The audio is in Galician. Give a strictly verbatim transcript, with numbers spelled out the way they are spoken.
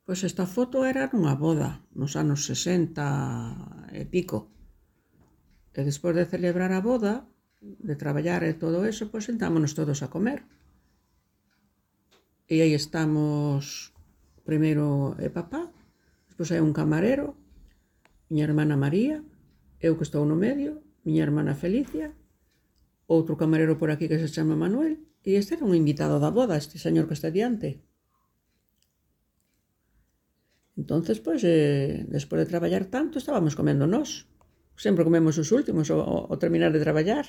Pois esta foto era nunha boda, nos anos sesenta e pico. E despois de celebrar a boda, de traballar e todo eso, pois sentámonos todos a comer. E aí estamos, primeiro é papá, despois hai un camarero, miña hermana María, eu que estou no medio, miña hermana Felicia, outro camarero por aquí que se chama Manuel, e este era un invitado da boda, este señor que está diante. Entonces, pois, eh, despois de traballar tanto, estábamos comendo nós. Sempre comemos os últimos ao, ao terminar de traballar.